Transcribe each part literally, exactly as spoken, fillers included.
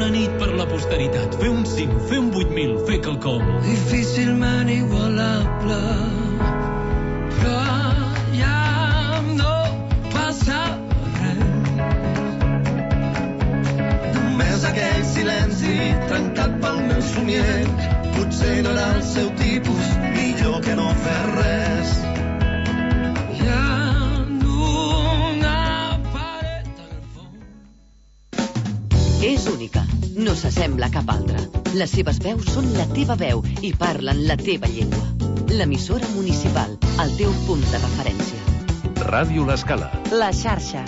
una nit per la posteritat, fer un cinc, fer un vuit mil, fer quelcom. Difícilment igualable, però ja no passa res. Només aquell silenci trencat pel meu somier, potser no era el seu tipus, millor que no fer res. És única, no s'assembla a cap altra. Les seves veus són la teva veu i parlen la teva llengua. L'emissora municipal, el teu punt de referència. Ràdio L'Escala. La xarxa.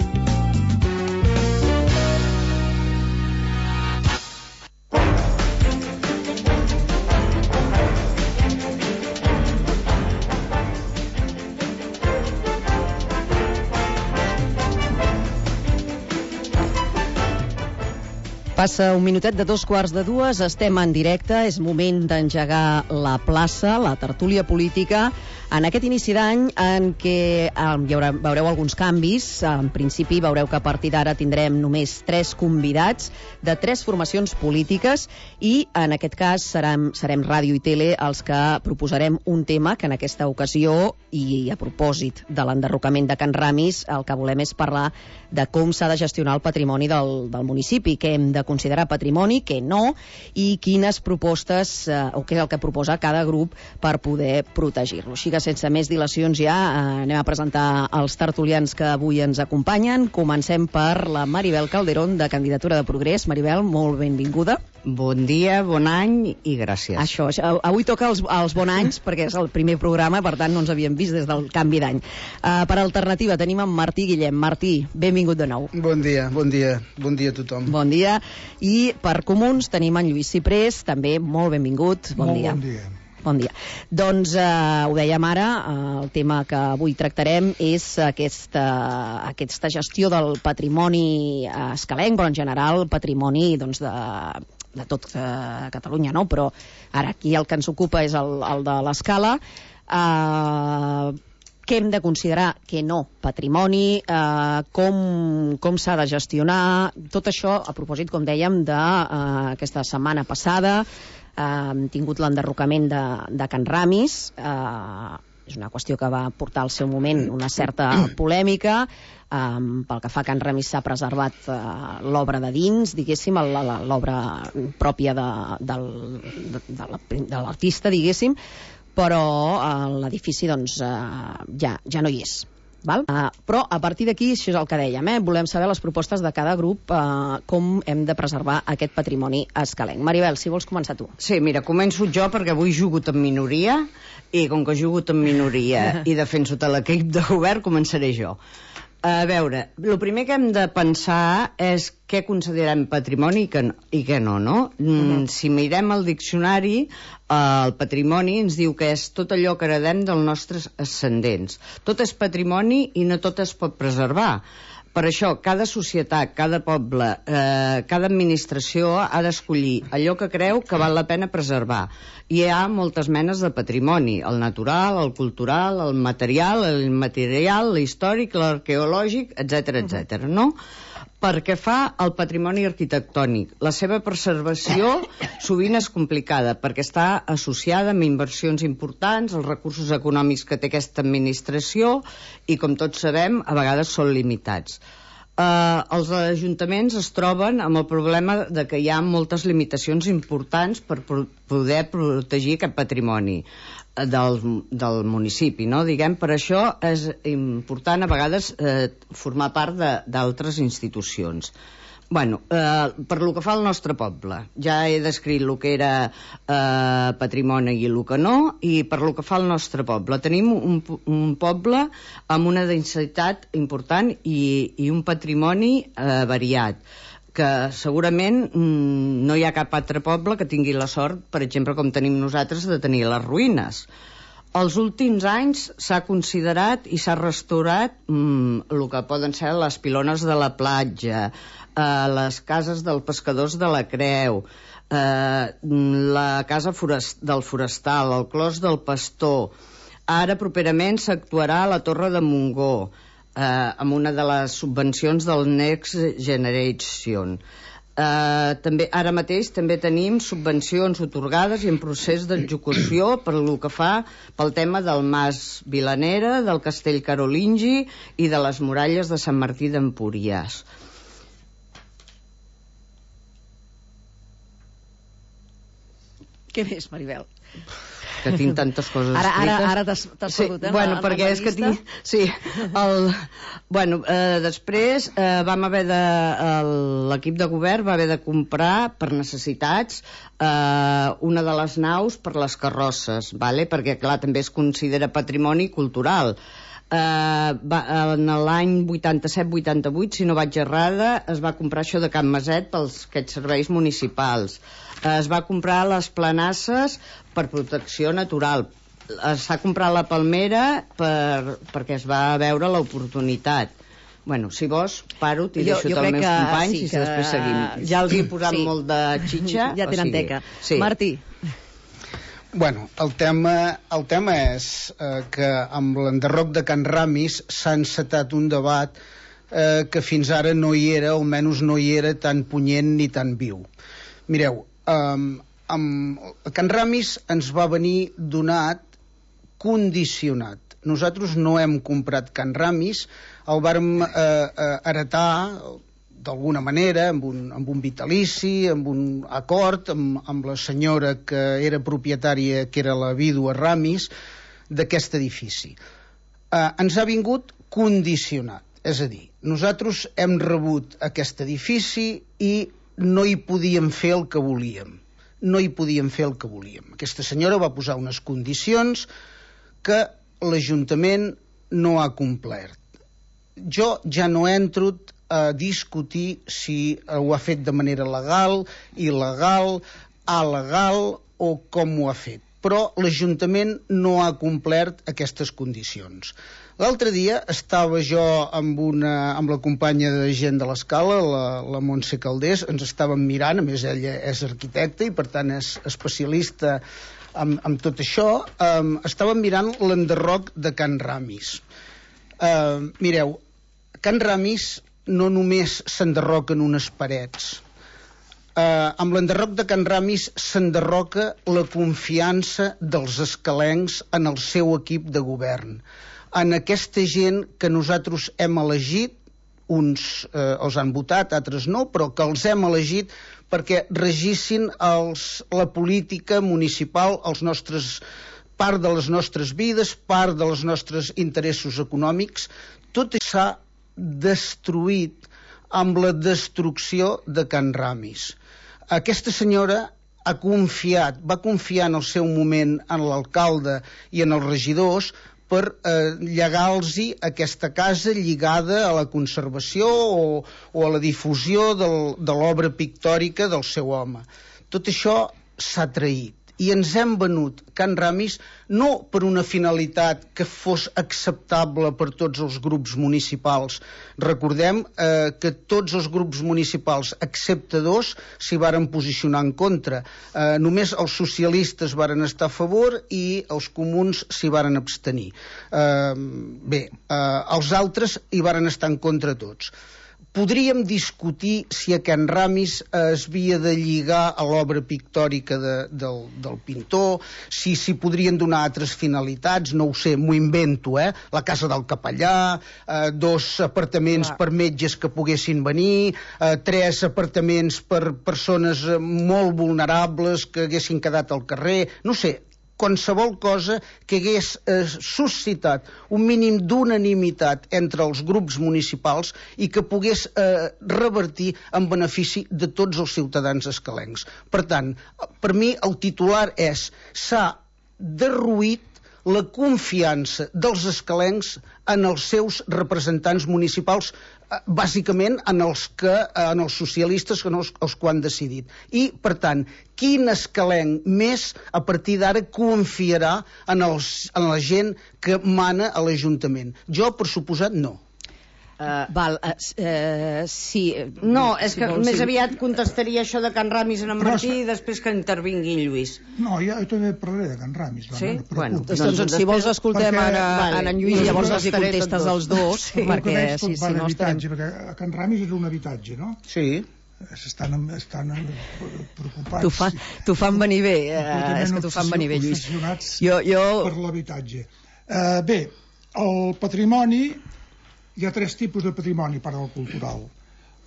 Passa un minutet de dos quarts de dues, estem en directe, és moment d'engegar la plaça, la tertúlia política, en aquest inici d'any en què eh, hi haurà, veureu alguns canvis. En principi veureu que a partir d'ara tindrem només tres convidats de tres formacions polítiques i en aquest cas serem, serem Ràdio i Tele els que proposarem un tema que en aquesta ocasió, i a propòsit de l'enderrocament de Can Ramis, el que volem és parlar de com s'ha de gestionar el patrimoni del, del municipi, què hem de considerar patrimoni, què no, i quines propostes, eh, o què és el que proposa cada grup per poder protegir-lo. Així que sense més dilacions ja eh, anem a presentar els tertulians que avui ens acompanyen. Comencem per la Maribel Calderón, de Candidatura de Progrés. Maribel, molt benvinguda. Bon dia, bon any i gràcies. Això, això avui toca els, els bon anys perquè és el primer programa, per tant no ens havíem vist des del canvi d'any. Uh, per alternativa tenim en Martí Guillem. Martí, benvingut de nou. Bon dia, bon dia, bon dia a tothom. Bon dia. I per Comuns tenim en Lluís Ciprés, també molt benvingut. Bon molt dia. Bon dia. Bon dia. Doncs eh, ho dèiem ara, eh, el tema que avui tractarem és aquesta, aquesta gestió del patrimoni eh, escalenc, però en general patrimoni doncs, de, de tot eh, Catalunya, no? Però ara aquí el que ens ocupa és el, el de l'Escala. Eh, què hem de considerar, què no, patrimoni, eh, com, com s'ha de gestionar, tot això a propòsit, com dèiem, d'aquesta eh, setmana passada. Hem uh, tingut l'enderrocament de, de Can Ramis, uh, és una qüestió que va portar al seu moment una certa polèmica. Um, pel que fa a Can Ramis s'ha preservat uh, l'obra de dins, diguéssim, l'obra pròpia de, del, de, de l'artista, diguéssim, però uh, l'edifici doncs, uh, ja, ja no hi és. Val? Uh, però a partir d'aquí, això és el que dèiem, eh? Volem saber les propostes de cada grup, uh, com hem de preservar aquest patrimoni escalenc. Maribel, si vols començar tu. Sí, mira, començo jo perquè avui he jugut en minoria i com que he jugut en minoria i defenso tot l'equip de govern, començaré jo. A veure, el primer que hem de pensar és què considerem patrimoni i què no, i què no, no? Mm, si mirem el diccionari, eh, el patrimoni ens diu que és tot allò que heredem dels nostres ascendents. Tot és patrimoni i no tot es pot preservar. Per això, cada societat, cada poble, eh, cada administració ha d'escollir allò que creu que val la pena preservar. I hi ha moltes menes de patrimoni, el natural, el cultural, el material, l'immaterial, l'històric, l'arqueològic, etcètera, etcètera, no? Perquè fa el patrimoni arquitectònic. La seva preservació sovint és complicada perquè està associada amb inversions importants, els recursos econòmics que té aquesta administració i, com tots sabem, a vegades són limitats. Uh, els ajuntaments es troben amb el problema de que hi ha moltes limitacions importants per pro- poder protegir aquest patrimoni del, del municipi, no? Diguem, per això és important a vegades eh, formar part d'altres institucions. Bueno, eh, per lo que fa al nostre poble, ja he descrit el que era eh, patrimoni i el que no, i per lo que fa al nostre poble, tenim un, un poble amb una densitat important i, i un patrimoni eh, variat, que segurament mm, no hi ha cap altre poble que tingui la sort, per exemple, com tenim nosaltres, de tenir les ruïnes. Els últims anys s'ha considerat i s'ha restaurat mm, el que poden ser les pilones de la platja, eh, les cases dels pescadors de la Creu, eh, la casa forest, del forestal, el clos del pastor. Ara properament s'actuarà a la Torre de Montgó, eh, amb una de les subvencions del Next Generation. Uh, també, ara mateix també tenim subvencions otorgades i en procés d'execució per el que fa pel tema del Mas Vilanera, del Castell Carolingi i de les muralles de Sant Martí d'Empúries. Què més, Maribel? Que tinc tantes coses ara, escrites. Ara, ara t'has perdut, sí, eh? Bueno, la, perquè la és que tinc... Sí, el... Bueno, eh, després eh, vam haver de... l'equip de govern va haver de comprar per necessitats eh, una de les naus per les carrosses, vale? Perquè, clar, també es considera patrimoni cultural. Uh, va, en l'any vuitanta-set vuitanta-vuit, si no vaig errada, es va comprar això de Can Maset pels aquests serveis municipals. Uh, es va comprar les planasses per protecció natural. S'ha comprat la palmera per, perquè es va veure l'oportunitat. Bueno, si vols, paro, t'hi deixo tots els meus que, companys sí, i que... després seguim. Ja els he posat sí. molt de xitxa. Ja tenen o sigui, teca. Sí. Martí. Bueno, el tema, el tema és eh, que amb l'enderroc de Can Ramis s'ha encetat un debat eh, que fins ara no hi era, almenys no hi era tan punyent ni tan viu. Mireu, eh, amb Can Ramis ens va venir donat condicionat. Nosaltres no hem comprat Can Ramis, el vàrem eh, eh, heretar d'alguna manera, amb un, amb un vitalici, amb un acord, amb, amb la senyora que era propietària, que era la vídua Ramis, d'aquest edifici. Eh, ens ha vingut condicionat, és a dir, nosaltres hem rebut aquest edifici i no hi podíem fer el que volíem. No hi podíem fer el que volíem. Aquesta senyora va posar unes condicions que l'Ajuntament no ha complert. Jo ja no entro a discutir si ho ha fet de manera legal, il·legal, alegal o com ho ha fet. Però l'Ajuntament no ha complert aquestes condicions. L'altre dia estava jo amb, una, amb la companya de gent de l'Escala, la, la Montse Caldés, ens estàvem mirant, a més ella és arquitecta i per tant és especialista en, en tot això, um, estàvem mirant l'enderroc de Can Ramis. Uh, mireu, Can Ramis no només s'enderroquen unes parets. Uh, amb l'enderroc de Can Ramis s'enderroca la confiança dels escalencs en el seu equip de govern, en aquesta gent que nosaltres hem elegit, uns eh, els han votat, altres no, però que els hem elegit perquè regissin els, la política municipal, els nostres, part de les nostres vides, part dels nostres interessos econòmics. Tot s'ha destruït amb la destrucció de Can Ramis. Aquesta senyora ha confiat, va confiar en el seu moment en l'alcalde i en els regidors per eh, llegar-los aquesta casa lligada a la conservació o, o a la difusió del, de l'obra pictòrica del seu home. Tot això s'ha traït i ens hem venut Can Ramis no per una finalitat que fos acceptable per tots els grups municipals. Recordem eh, que tots els grups municipals, excepte dos, s'hi varen posicionar en contra. Eh, només els socialistes varen estar a favor i els comuns s'hi varen abstenir. Eh, bé, eh, els altres hi varen estar en contra tots. Podríem discutir si a Can Ramis eh, es havia de lligar a l'obra pictòrica de, del, del pintor, si s'hi podrien donar altres finalitats, no ho sé, m'ho invento, eh? La casa del capellà, eh, dos apartaments Clar. per metges que poguessin venir, eh, tres apartaments per persones molt vulnerables que haguessin quedat al carrer, no sé, qualsevol cosa que hagués eh, suscitat un mínim d'unanimitat entre els grups municipals i que pogués eh, revertir en benefici de tots els ciutadans escalencs. Per tant, per mi el titular és: s'ha derruït la confiança dels escalencs en els seus representants municipals, bàsicament en els, que, en els socialistes, que no els, els que ho han decidit. I, per tant, quin escalenc més a partir d'ara confiarà en, els, en la gent que mana a l'Ajuntament? Jo, per suposat, no. Uh, Val, uh, uh, sí. No, és si que vols, més sí. aviat contestaria això de Can Ramis en en Martí i després que intervingui Lluís. No, jo, jo també parlaré de Can Ramis. Va, sí? No bueno, doncs, doncs, doncs si vols escoltem perquè, ara vale, en en Lluís i llavors els hi contestes als dos, sí, perquè si, si no estarem... perquè Can Ramis és un habitatge, no? Sí. estan, estan preocupats. T'ho fa, fan venir bé, eh, és que t'ho fan venir bé, Lluís. Jo, jo... Per l'habitatge. Eh, bé, el patrimoni, hi ha tres tipus de patrimoni per al cultural.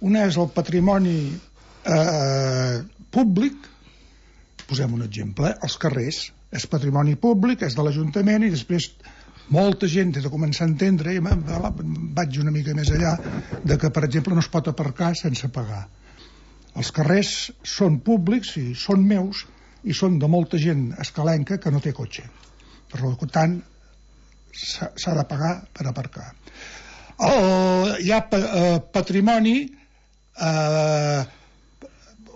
Una és el patrimoni eh, públic, posem un exemple, els carrers, és patrimoni públic, és de l'Ajuntament, i després molta gent té de començar a entendre, i vaig una mica més allà, de que, per exemple, no es pot aparcar sense pagar. Els carrers són públics i són meus, i són de molta gent escalenca que no té cotxe. Per tant, s'ha de pagar per aparcar. El, hi ha eh, patrimoni, eh,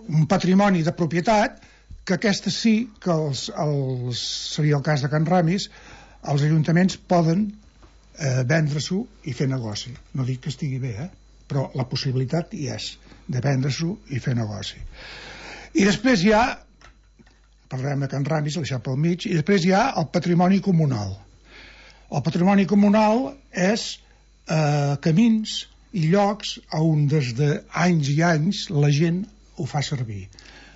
un patrimoni de propietat, que aquesta sí que els, els, seria el cas de Can Ramis, els ajuntaments poden eh, vendre-s'ho i fer negoci. No dic que estigui bé, eh? Però la possibilitat hi és de vendre-s'ho i fer negoci. I després hi ha, parlarem de Can Ramis, el deixar pel mig, i després hi ha el patrimoni comunal. El patrimoni comunal és eh, camins i llocs on des d'anys i anys la gent ho fa servir.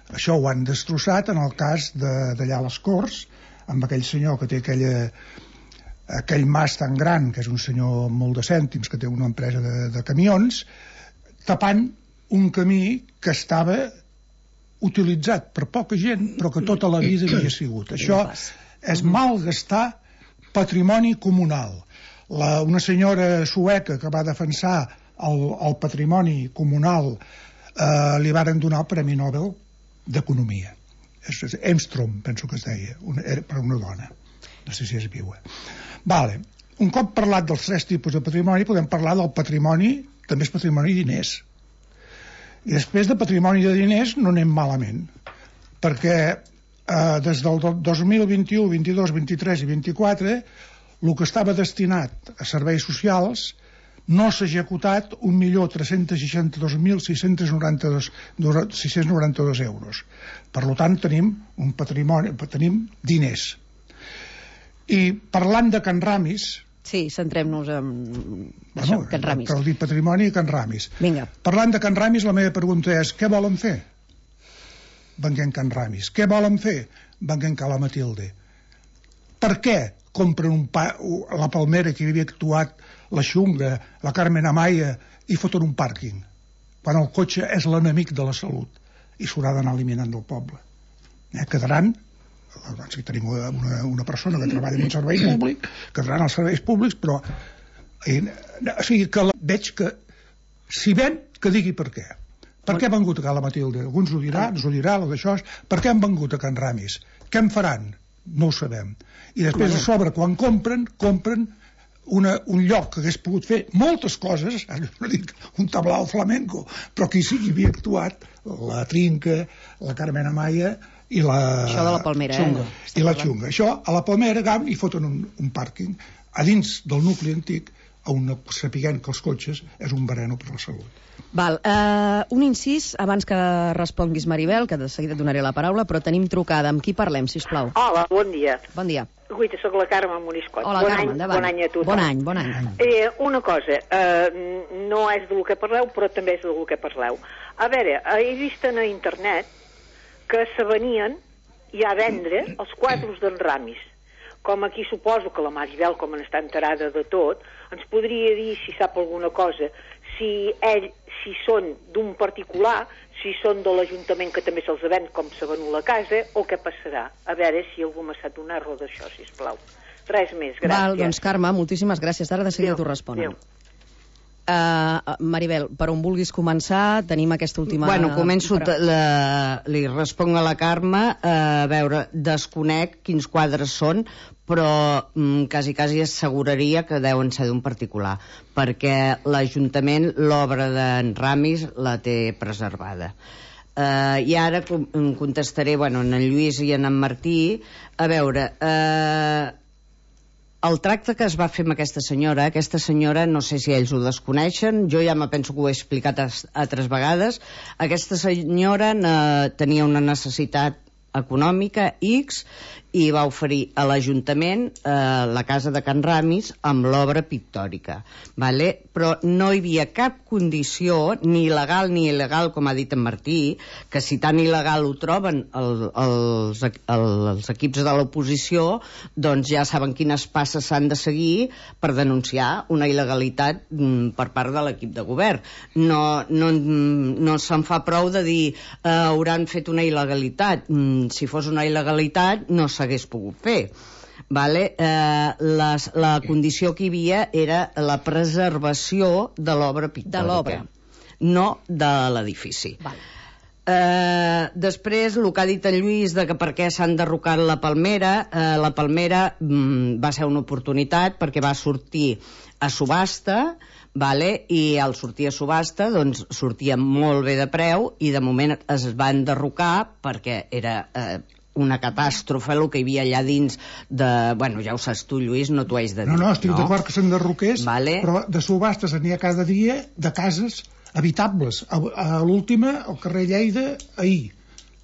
Això ho han destrossat en el cas d'allà a les Corts, amb aquell senyor que té aquella, aquell mas tan gran, que és un senyor amb molt de cèntims, que té una empresa de, de camions, tapant un camí que estava utilitzat per poca gent, però que tota la vida havia sigut. Això és malgastar patrimoni comunal. La, una senyora sueca que va defensar el, el patrimoni comunal eh, li varen donar el Premi Nobel d'Economia. Emstrom, penso que es deia, una, era per una dona, no sé si és viua. Vale. Un cop parlat dels tres tipus de patrimoni, podem parlar del patrimoni, també és patrimoni de diners. I després de patrimoni de diners no anem malament, perquè eh, des del dos mil vint-i-u, vint-i-dos, vint-i-tres i vint-i-quatre el que estava destinat a serveis socials no s'ha executat un milió tres-cents seixanta-dos mil sis-cents noranta-dos euros. Per tant, tenim un patrimoni, tenim diners. I parlant de Can Ramis... Sí, centrem-nos en bueno, això, Can Ramis. Cal dir patrimoni i Can Ramis. Vinga. Parlant de Can Ramis, la meva pregunta és: què volen fer? Venguent Can Ramis. Què volen fer? Venguent Cala Matilde. Per què compren un pa, la Palmera, que hi havia actuat la Xunga, la Carmen Amaya, i foten un pàrquing, quan el cotxe és l'enemic de la salut i s'haurà d'anar eliminant del poble? Eh, quedaran, doncs, si tenim una, una persona que treballa en un servei públic, quedaran els serveis públics, però eh, o sigui que la, veig que si ven, que digui per què. Per què han vengut a Cala Matilde? Alguns ho diran, ens ho dirà, el d'això. Per què han vengut a Can Ramis? Què en faran? No ho sabem. I després a sobre, quan compren, compren una, un lloc que hagués pogut fer moltes coses, no dic un tablau flamenco, però que hi havia actuat la Trinca, la Carmen Amaya i la... Això de la Palmera, Xunga, eh? I la Xunga. Això, a la Palmera, agam, i foten un, un pàrquing a dins del nucli antic, on sapiguem que els cotxes és un veneno per la salut. Val, uh, un incís abans que responguis, Maribel, que de seguida et donaré la paraula, però tenim trucada. Amb qui parlem, sisplau? Hola, bon dia. Bon dia. Guaita, soc la Carme Moriscot. Hola, bon Carme, any, endavant. Bon any a tothom. Bon any, bon any. Eh, una cosa, eh, no és del que parleu, però també és del que parleu. A veure, he vist a internet que se venien ja a vendre els quadros d'en Ramis. Com aquí suposo que la Maribel, com n'està enterada de tot, ens podria dir, si sap alguna cosa, si ell, si són d'un particular, si són de l'Ajuntament, que també se'ls ven com s'ha venut la casa, o què passarà. A veure si algú m'ha sap donar raó d'això, sisplau. Res més, gràcies. Val, doncs Carme, moltíssimes gràcies. Ara de seguida t'ho responen. Uh, Maribel, per on vulguis començar, tenim aquesta última... Bueno, començo, però... la, li responc a la Carme, uh, a veure, desconec quins quadres són, però um, quasi, quasi asseguraria que deuen ser d'un particular, perquè l'Ajuntament, l'obra d'en Ramis, la té preservada. Uh, I ara com, contestaré, bueno, en Lluís i en Martí, a veure... Uh, El tracte que es va fer amb aquesta senyora, aquesta senyora, no sé si ells ho desconeixen, jo ja me penso que ho he explicat altres vegades, aquesta senyora eh, tenia una necessitat econòmica X i va oferir a l'Ajuntament eh, la casa de Can Ramis amb l'obra pictòrica, vale? Però no hi havia cap condició, ni legal ni il·legal, com ha dit en Martí, que si tan il·legal ho troben el, els, els equips de l'oposició, doncs ja saben quines passes s'han de seguir per denunciar una il·legalitat mm, per part de l'equip de govern. No, no, no se'n fa prou de dir eh, hauran fet una il·legalitat. Mm, si fos una il·legalitat no s'hagués pogut fer. Vale? Eh, les, la condició que hi havia era la preservació de l'obra pictòrica. De l'obra. No de l'edifici. Vale. Eh, després, el que ha dit en Lluís de que per què s'han derrocat la Palmera, eh, la Palmera mm, va ser una oportunitat perquè va sortir a subhasta, vale? I al sortir a subhasta doncs sortia molt bé de preu i de moment es van derrocar perquè era eh, una catàstrofe el que hi havia allà dins de... Bueno, ja ho saps tu, Lluís, no t'ho haig de dir. No, no, estic no? d'acord que s'enderroqués, vale. Però de subhastes n'hi ha cada dia de cases habitables. A, a l'última, al carrer Lleida, ahir.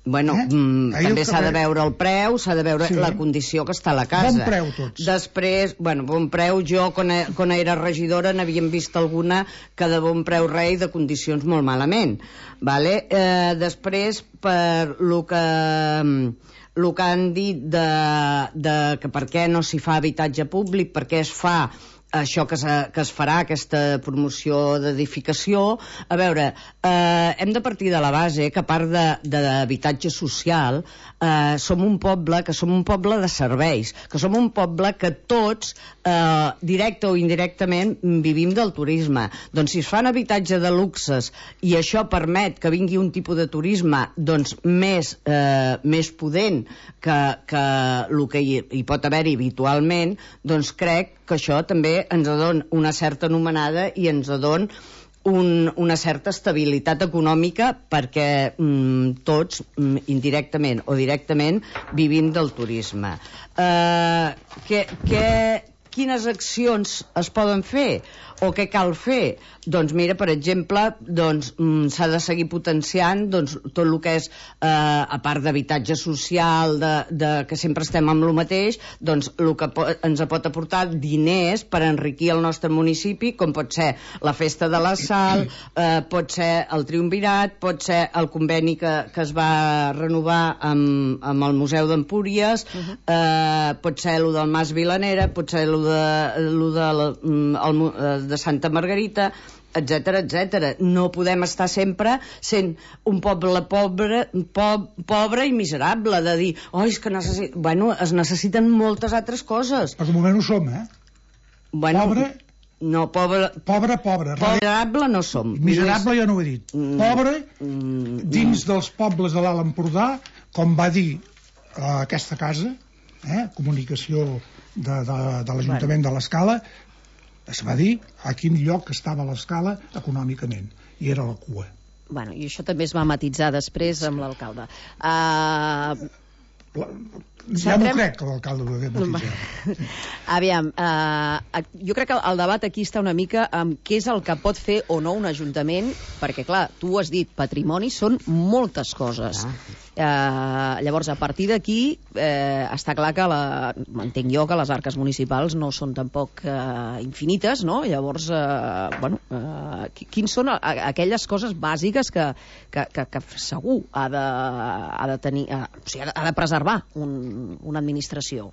Bueno, eh? mm, també s'ha de veure el preu, s'ha de veure sí. la condició que està a la casa. Bon preu, tots. Després, bueno, bon preu, jo, quan, quan era regidora, n'havíem vist alguna que de bon preu rei de condicions molt malament. Vale? Eh, després, per lo que... el que han dit de, de que per què no s'hi fa habitatge públic, per què es fa això que, se, que es farà, aquesta promoció d'edificació. A veure, eh, hem de partir de la base que a part d'habitatge social eh, som un poble que som un poble de serveis, que som un poble que tots, eh, directe o indirectament, vivim del turisme. Doncs si es fan habitatge de luxes i això permet que vingui un tipus de turisme doncs més, eh, més pudent que, que el que hi, hi pot haver-hi habitualment, doncs crec que això també ens dona una certa anomenada i ens dona un, una certa estabilitat econòmica perquè mm, tots, mm, indirectament o directament, vivim del turisme. Eh, que, que, quines accions es poden fer o què cal fer? Doncs mira, per exemple, doncs, mm, s'ha de seguir potenciant doncs, tot el que és, eh, a part d'habitatge social, de, de, que sempre estem amb el mateix, doncs el que po ens pot aportar diners per enriquir el nostre municipi, com pot ser la Festa de la Sal, eh, pot ser el Triumvirat, pot ser el conveni que, que es va renovar amb, amb el Museu d'Empúries, uh -huh. eh, pot ser el del Mas Vilanera, pot ser el de, lo de, el, el, de Santa Margarita, etcètera, etcètera. No podem estar sempre sent un poble pobre, po pobre i miserable, de dir, oh, és que necessit... Bueno, es necessiten moltes altres coses. Per de moment ho som, eh? Bueno, pobre... No, pobre... Pobre, pobre. Miserable no som. Miserable ja no ho he dit. Mm, pobre, mm, dins mm. dels pobles de l'Alt Empordà, com va dir uh, aquesta casa, eh, comunicació de, de, de l'Ajuntament bueno. de l'Escala, es va dir a quin lloc estava l'Escala econòmicament, i era la cua. Bueno, i això també es va matitzar després amb l'alcalde. Uh... La, ja m'ho crec, que l'alcalde ho hagués matitzat. Aviam, uh, jo crec que el debat aquí està una mica amb què és el que pot fer o no un ajuntament, perquè, clar, tu ho has dit, patrimoni són moltes coses. Ah. Uh, llavors, a partir d'aquí, eh, està clar que la, entenc jo que les arques municipals no són tampoc uh, infinites, no? Llavors, uh, bueno, uh, quins són aquelles coses bàsiques que, que, que, que segur ha de, ha de tenir, uh, o sigui, ha de preservar un, una administració?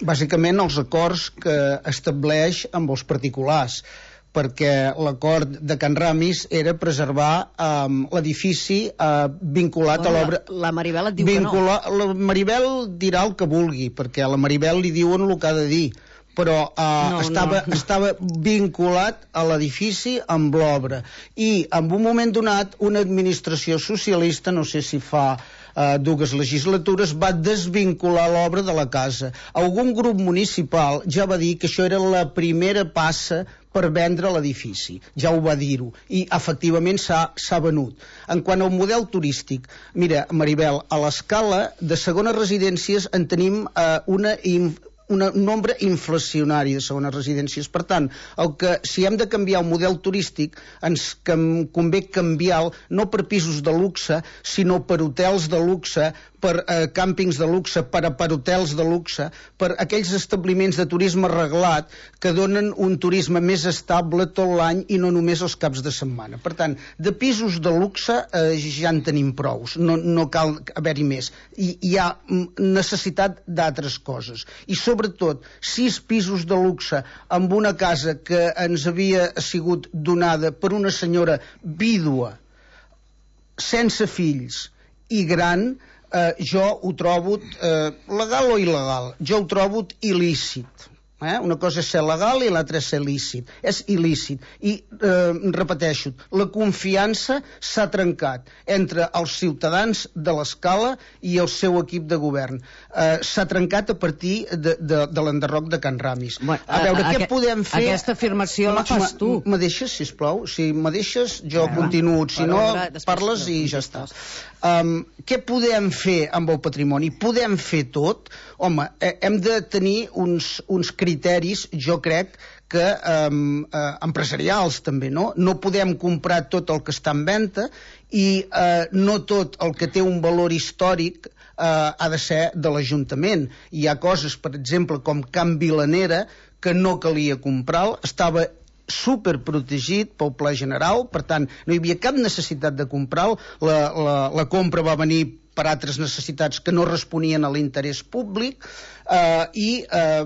Bàsicament els acords que estableix amb els particulars, perquè l'acord de Can Ramis era preservar um, l'edifici uh, vinculat bueno, a l'obra... La, la Maribel et diu vincula... que no. La Maribel dirà el que vulgui, perquè a la Maribel li diuen el que ha de dir, però uh, no, estava, no. estava vinculat a l'edifici amb l'obra. I en un moment donat, una administració socialista, no sé si fa uh, dues legislatures, va desvincular l'obra de la casa. Algun grup municipal ja va dir que això era la primera passa per vendre l'edifici, ja ho va dir-ho, i efectivament s'ha venut. En quant al model turístic, mira, Maribel, a l'Escala de segones residències en tenim eh, una, un nombre inflacionari de segones residències. Per tant, el que, si hem de canviar el model turístic, ens convé canviar no per pisos de luxe, sinó per hotels de luxe, per eh, càmpings de luxe, per aparhotels de luxe, per aquells establiments de turisme reglat que donen un turisme més estable tot l'any i no només els caps de setmana. Per tant, de pisos de luxe eh, ja en tenim prous, no, no cal haver-hi més. I hi ha necessitat d'altres coses. I sobretot, sis pisos de luxe amb una casa que ens havia sigut donada per una senyora vídua, sense fills i gran, eh, jo ho trobo eh, legal o il·legal? Jo ho trobo il·lícit. Eh? Una cosa és ser legal i l'altra és ser lícit. És il·lícit. I, eh, repeteixo, la confiança s'ha trencat entre els ciutadans de l'Escala i el seu equip de govern. Eh, s'ha trencat a partir de, de, de l'enderroc de Can Ramis. Bueno, a veure, a, què a, podem fer... Aquesta afirmació la fas tu. Me deixes, sisplau? Si me deixes, jo ja, continuo. Si no, després, parles i ja està. Um, què podem fer amb el patrimoni? Podem fer tot? Home, eh, hem de tenir uns, uns criteris, jo crec, que um, eh, empresarials també, no? No podem comprar tot el que està en venda i eh, no tot el que té un valor històric eh, ha de ser de l'Ajuntament. Hi ha coses, per exemple, com Can Vilanera, que no calia comprar, estava superprotegit pel Pla General, per tant no hi havia cap necessitat de comprar-lo. la, la, la compra va venir per altres necessitats que no responien a l'interès públic eh, i eh,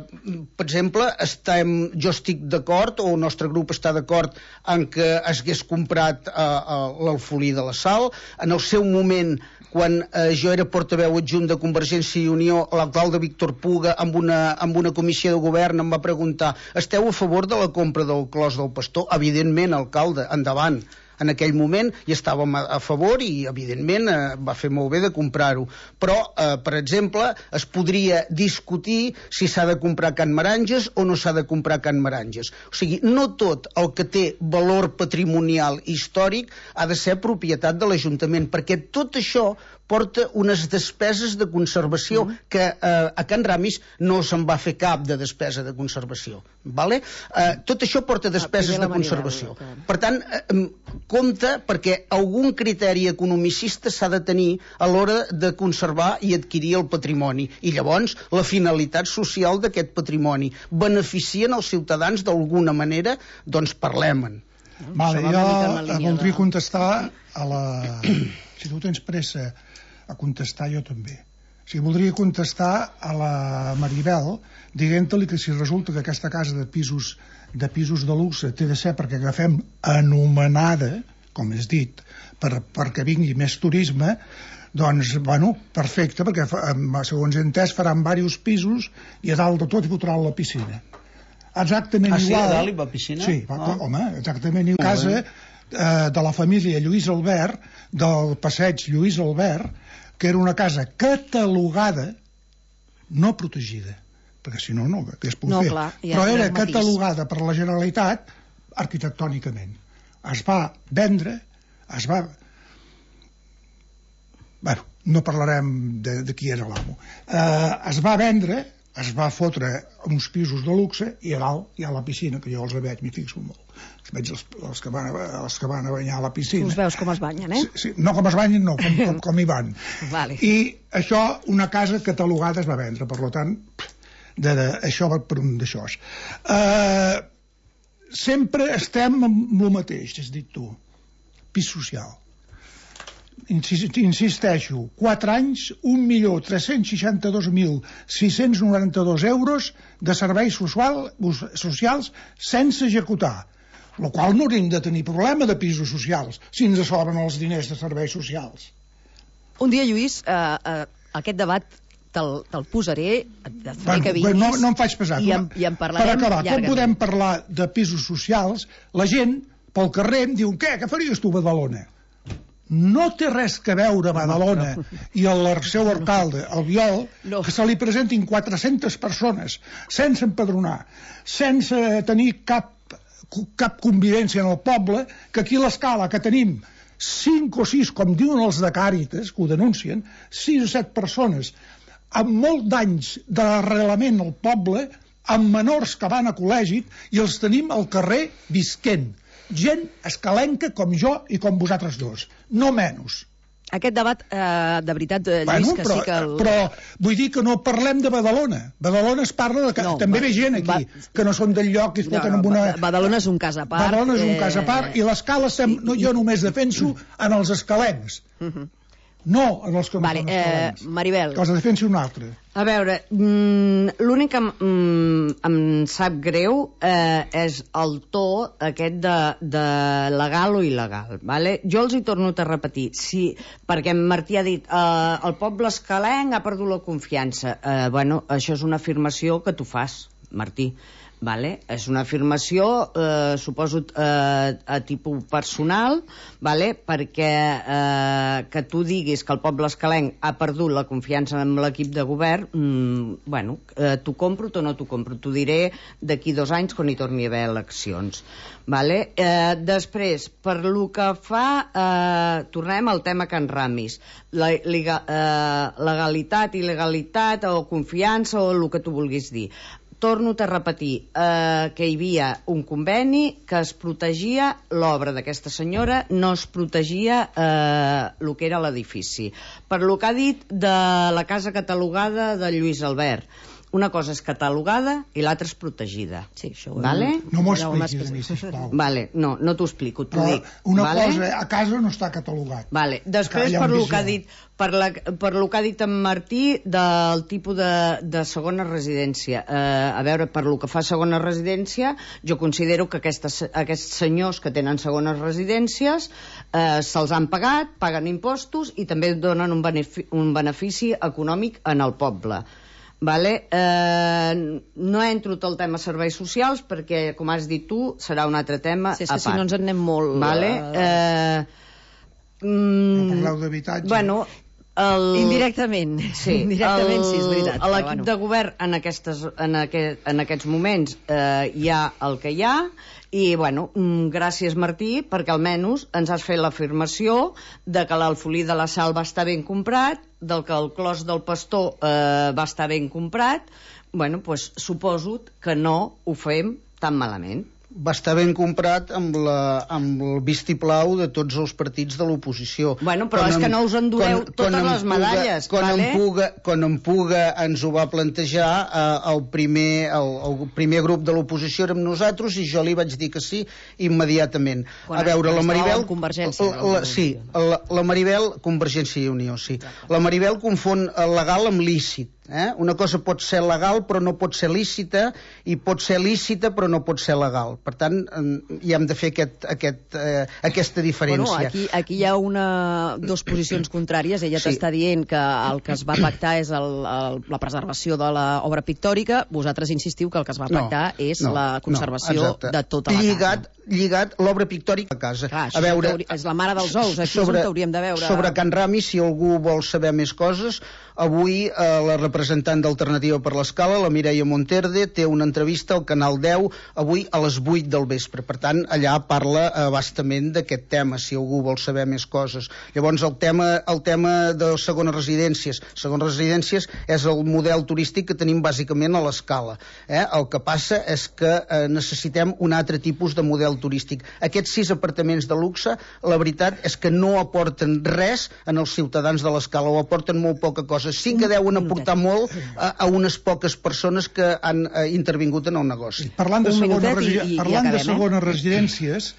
per exemple estem, jo estic d'acord o el nostre grup està d'acord en que es hagués comprat eh, l'Alfolí de la Sal. En el seu moment, quan eh, jo era portaveu adjunt de Convergència i Unió, l'alcalde Víctor Puga amb una, amb una comissió de govern em va preguntar: esteu a favor de la compra del Clos del Pastor? Evidentment, alcalde, endavant. En aquell moment hi estàvem a, a favor i, evidentment, eh, va fer molt bé de comprar-ho. Però, eh, per exemple, es podria discutir si s'ha de comprar Can Meranges o no s'ha de comprar Can Meranges. O sigui, no tot el que té valor patrimonial històric ha de ser propietat de l'Ajuntament, perquè tot això porta unes despeses de conservació mm. que eh, a Can Ramis no se'n va fer cap de despesa de conservació. Vale? Eh, tot això porta despeses de conservació. Per tant, eh, compte, perquè algun criteri economicista s'ha de tenir a l'hora de conservar i adquirir el patrimoni. I llavors, la finalitat social d'aquest patrimoni beneficien els ciutadans d'alguna manera, doncs parlem-en. Vale, jo voldria contestar a la... Si tu tens pressa a contestar, jo també. O sigui, voldria contestar a la Maribel dient-li que si resulta que aquesta casa de pisos de pisos de luxe té de ser perquè agafem anomenada, com és dit, per, perquè vingui més turisme, doncs, bueno, perfecte, perquè segons he entès faran diversos pisos i a dalt de tot hi fotran la piscina. Exactament ah, igual. Ah, sí, a dalt hi va piscina? Sí, va, ah. home, exactament igual. Casa eh, de la família Lluís Albert, del passeig Lluís Albert, que era una casa catalogada, no protegida, perquè si no, no hagués pogut no, fer. Clar, ja però era catalogada per la Generalitat arquitectònicament. Es va vendre, es va... Bueno, no parlarem de, de qui era l'amo. Eh, es va vendre, es va fotre uns pisos de luxe i a dalt hi ha la piscina, que jo els veig, m'hi fixo molt. Veig els, els, que van a, els que van a banyar a la piscina. Tu els veus com es banyen, eh? Sí, sí, no com es banyen, no, com, com, com hi van. Vale. I això, una casa catalogada es va vendre, per tant, de, de, això va per un d'això. Uh, sempre estem amb el mateix, has dit tu, pis social. Insisteixo, quatre anys, un milió tres-cents seixanta-dos mil sis-cents noranta-dos euros de serveis social, socials sense executar, el qual no hauríem de tenir problema de pisos socials si ens sobren els diners de serveis socials. Un dia, Lluís, eh, eh, aquest debat te'l, te'l posaré, et faré bueno, que vinguis... No, no em faig pesat. I en, i en parlarem per acabar, llargament. com podem parlar de pisos socials, la gent pel carrer em diu: què, què faries tu a Badalona? No té res que veure Badalona i el seu alcalde, el Viol, no. Que se li presentin quatre-centes persones sense empadronar, sense tenir cap, cap convivència en el poble, que aquí a l'Escala, que tenim cinc o sis, com diuen els de Càritas, que ho denuncien, sis o set persones amb molt d'anys d'arrelament al poble, amb menors que van a col·legi, i els tenim al carrer visquent. Gent escalenca com jo i com vosaltres dos, no menys. Aquest debat, eh, de veritat, Lluís, bueno, que però, sí que... El... Però vull dir que no parlem de Badalona. Badalona es parla de... Que no, també va, ve gent aquí, va, que no són del lloc i es foten no, no, amb una... Badalona és un cas a part. Badalona és un eh... cas a part, i l'escala sem... no, jo només defenso en els escalencs. Uh -huh. No en els que no vale, són escalencs. Eh, Maribel. Que els defensi un altre. A veure, mm, l'únic que mm, em sap greu eh, és el to aquest de, de legal o il·legal. Vale? Jo els hi torno a repetir, si, perquè en Martí ha dit eh, el poble escalenc ha perdut la confiança. Eh, bueno, això és una afirmació que tu fas, Martí. Vale? És una afirmació, eh, suposo, eh, a tipus personal, vale? Perquè eh, que tu diguis que el poble escalenc ha perdut la confiança en l'equip de govern, mm, bueno, eh, t'ho compro o no t'ho compro. T'ho diré d'aquí dos anys quan hi torni a haver eleccions. Vale? Eh, després, per lo que fa, eh, tornem al tema Can Ramis. La, liga, eh, legalitat, il·legalitat o confiança o el que tu vulguis dir. Torno a repetir eh, que hi havia un conveni que es protegia l'obra d'aquesta senyora, no es protegia eh, el que era l'edifici. Per lo que ha dit de la casa catalogada de Lluís Albert, una cosa és catalogada i l'altra és protegida. Sí, això ho vale? No m'ho expliquis a mi, sisplau. Vale, no, no t'ho explico, t'ho Però dic. una vale? cosa, a casa no està catalogat. Vale. Després, Que per lo visió. que ha dit per, la, per lo que ha dit en Martí del tipus de, de segona residència. Eh, a veure, per lo que fa segona residència, jo considero que aquestes, aquests senyors que tenen segones residències eh, se'ls han pagat, paguen impostos i també donen un benefici, un benefici econòmic en el poble. Vale? Eh, no entro tot el tema serveis socials perquè, com has dit tu, serà un altre tema sí, és a que part. si no ens en anem molt... Vale? Eh, mm, No parleu d'habitatge. bueno, el... Indirectament. Sí, Indirectament, el, sí, és veritat. L'equip bueno. de govern en, aquestes, en, aquest, en aquests moments eh, hi ha el que hi ha i, bueno, mm, gràcies Martí, perquè almenys ens has fet l'afirmació de que l'alfolí de la Sal va estar ben comprat, del que el clos del Pastor eh, va estar ben comprat. Bueno, doncs suposo que no ho fem tan malament. Va estar ben comprat amb, la, amb el vistiplau de tots els partits de l'oposició. Bueno, però quan és em, que no us endureu quan, totes quan les medalles, quan vale? En Puga, quan en Puga ens ho va plantejar, eh, el, primer, el, el primer grup de l'oposició érem nosaltres i jo li vaig dir que sí immediatament. Quan a veure, la Maribel... Convergència. La, la, sí, la, la Maribel... Convergència i Unió, sí. La Maribel confon legal amb lícit. Eh? Una cosa pot ser legal però no pot ser lícita i pot ser lícita però no pot ser legal. Per tant, hi hem de fer aquest, aquest, eh, aquesta diferència. Bueno, aquí, aquí hi ha una, dos posicions contràries. Ella sí. t'està dient que el que es va pactar és el, el, la preservació de l'obra pictòrica. Vosaltres insistiu que el que es va pactar no, és no, la conservació no, de tota la lligat, casa. Lligat l'obra pictòrica a casa. Clar, a veure, és la mare dels ous. Aquí sobre, és on hauríem de veure... Sobre Can Ramis, si algú vol saber més coses, avui eh, la representant d'Alternativa per l'Escala, la Mireia Monterde, té una entrevista al Canal deu avui a les vuit del vespre. Per tant, allà parla abastament d'aquest tema, si algú vol saber més coses. Llavors, el tema, el tema de segones residències. Segones residències és el model turístic que tenim bàsicament a l'Escala. Eh? El que passa és que eh, necessitem un altre tipus de model turístic. Aquests sis apartaments de luxe, la veritat és que no aporten res en els ciutadans de l'Escala, o aporten molt poca cosa. Sí que deuen aportar molt a, a unes poques persones que han eh, intervingut en el negoci. Parlant de, segona i, i, parlant i acabem, de segones eh? residències,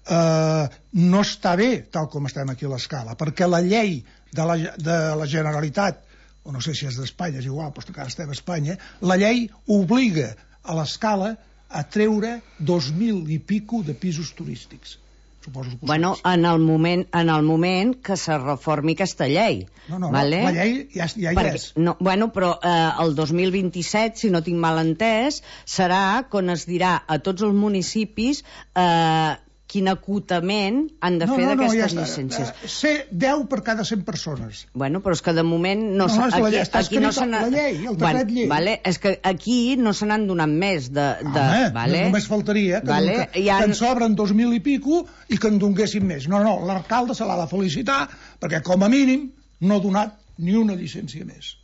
eh, no està bé tal com estem aquí a l'Escala, perquè la llei de la, de la Generalitat, o no sé si és d'Espanya, és igual, però que ara estem a Espanya, la llei obliga a l'Escala a treure dos mil i pico de pisos turístics. Suposo que bueno, en el, moment, en el moment que se reformi aquesta llei. No, no, vale? la llei ja, ja hi Perquè, és. No, bueno, però eh, el dos mil vint-i-set, si no tinc mal entès, serà quan es dirà a tots els municipis eh, quin acotament han de no, fer no, no, d'aquestes ja llicències. Uh, ser deu per cada cent persones. Bueno, però és que de moment no, No, no, és la aquí, llei, està aquí no escrit se la llei, el decret bueno, llei. Vale, és que aquí no se n'han donat més de... de Home, vale? no, només faltaria que, vale? que, ha... que en sobren dos mil i pico i que en donguessin més. No, no, l'alcalde se l'ha de felicitar perquè com a mínim no ha donat ni una llicència més.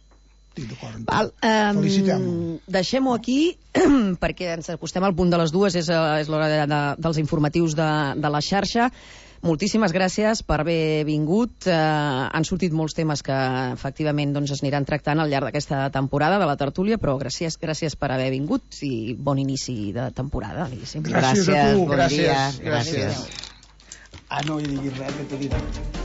Estic d'acord amb Val, tu. um, Felicitem-lo. deixem-ho aquí perquè ens acostem al punt de les dues, és, és l'hora de, de, dels informatius de, de la xarxa. Moltíssimes gràcies per haver vingut. Eh, han sortit molts temes que efectivament doncs, es aniran tractant al llarg d'aquesta temporada de la tertúlia, però gràcies, gràcies per haver vingut i bon inici de temporada. Gràcies, gràcies a tu. Bon gràcies, dia. gràcies. gràcies. Ah, no hi diguis res, que t'ho diré.